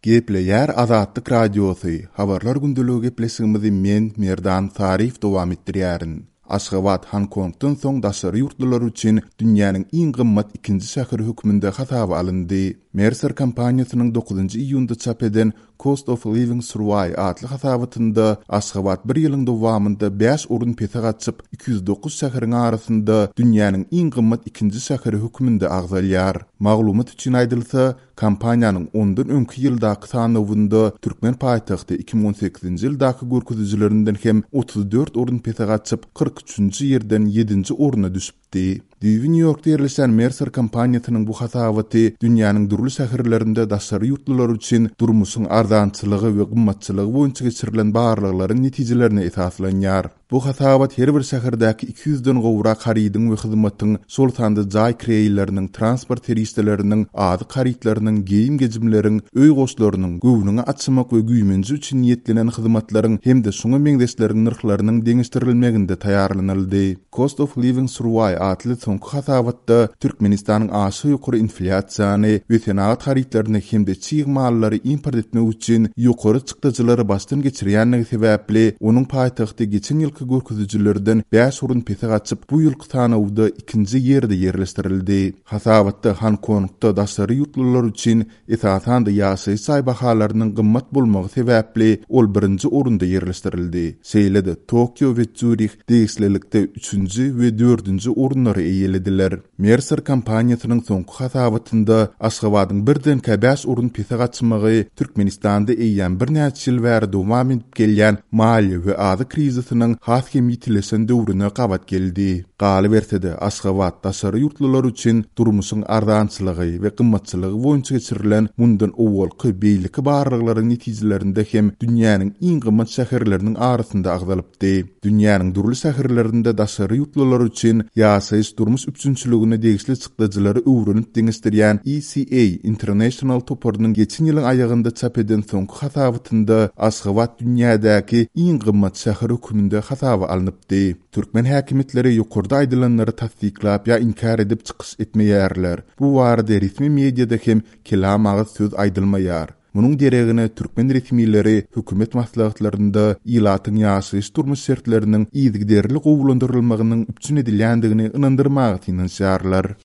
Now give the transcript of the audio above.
Gepleýär Azatlyk Radiosy, Habarlar gündeligi gepleşigimizi men, Merdan Saryýew dowam etdirýärin. Aşgabat Honkongdan soň daşary ýurtlular üçin dünýäniň iň gymmat ikinji şäheri hökmünde hasaba alyndy. Mercer kompaniýasynyň dokuzynjy iýunda çap eden Cost of Living Survey atly hasabatynda Aşgabat bir ýylyň dowamynda bäş orun pese gaçyp, 209 şäheriň arasynda dünýäniň iň gymmat ikinji şäheri hökmünde agzalýar. Maglumat üçin aýdylsa, kompaniýanyň ondan öňki ýyldaky sanawynda türkmen paýtagty 2018-nji ýyldaky görkezijilerinden hem 34 orun pese gaçyp, 43-nji ýerden ýedinji orna düşüpdi. Düýbi Nýu-Ýorkda ýerleşýän Mercer kompaniýasynyň bu hasabaty dünýäniň dürli şäherlerinde daşary ýurtlular üçin durmuşyň arzançylygy we gymmatçylygy boýunça geçirilen barlaglaryň netijelerine esaslanýar. Bu hasabat her bir şäherdäki 200-den gowrak harydyň we hyzmatyň, şol sanda jaý kireýleriniň, transport serişdeleriniň, azyk harytlarynyň, geýim-gejimleriň, öý goşlarynyň, göwnüňi açmak we güýmenje üçin niýetlenen hyzmatlaryň hem-de şuňa meňzeşleriň nyrhlarynyň deňeşdirilmeginde taýýarlanyldy. Cost of Living Survey atly soňky hasabatda Türkmenistanyň aşa ýokary inflýasiýany we senagat harytlaryny hem-de çig mallary import etmek üçin ýokary çykdajylary başdan geçirýändigi sebäpli, onuň paýtagty geçen ýylky görkezijilerden bäş orun pese gaçyp, bu ýylky sanawda ikinji ýerde ýerleşdirildi. Hasabatda Honkongda daşary ýurtlular üçin Esasan-da ýaşaýyş jaý bahalarynyň gymmat bolmagy sebäpli ol birinji orunda ýerleşdirildi. Şeýle-de, Tokio we Sýurih degişlilikde üçünji we dördünji orunlary eýelediler. Mercer kompaniýasynyň soňky hasabatynda Aşgabadyň birdenkä bäş orun pese gaçmagy Türkmenistanda eýýäm birnäçe ýyl bäri dowam edip gelýän maliýe we azyk krizisiniň has hem ýitileşen döwrüne gabat geldi. Galyberse-de, Aşgabat daşary ýurtlular üçin durmuşyň arzançylygy we gymmatçylygy boýunça geçirilen mundan owalky beýleki barlaglaryň netijelerinde hem dünýäniň iň gymmat şäherleriniň arasynda agzalypdy. Dünýäniň dürli şäherlerinde daşary ýurtlular üçin ýaşaýyş-durmuş üpjünçiligine degişli çykdajylary öwrenip deňeşdirýän ECA International toparynyň geçen ýylyň aýagynda çap eden soňky hasabatynda Aşgabat dünýädäki iň gymmat şäher hökmünde hasaba alnypdy. Türkmen häkimiýetleri ýokarda aýdylanlary tassyklap ýa inkär edip çykyş etmeýärler. Bu barada resmi mediada hem kelam agyz söz aýdylmaýar. Munuň deregine türkmen resmileri hökümet maslahatlarynda ilatyň ýaşaýyş-durmuş şertleriniň yzygiderli gowulandyrylmagynyň üpjün edilýändigini ynandyrmaga synanyşýarlar.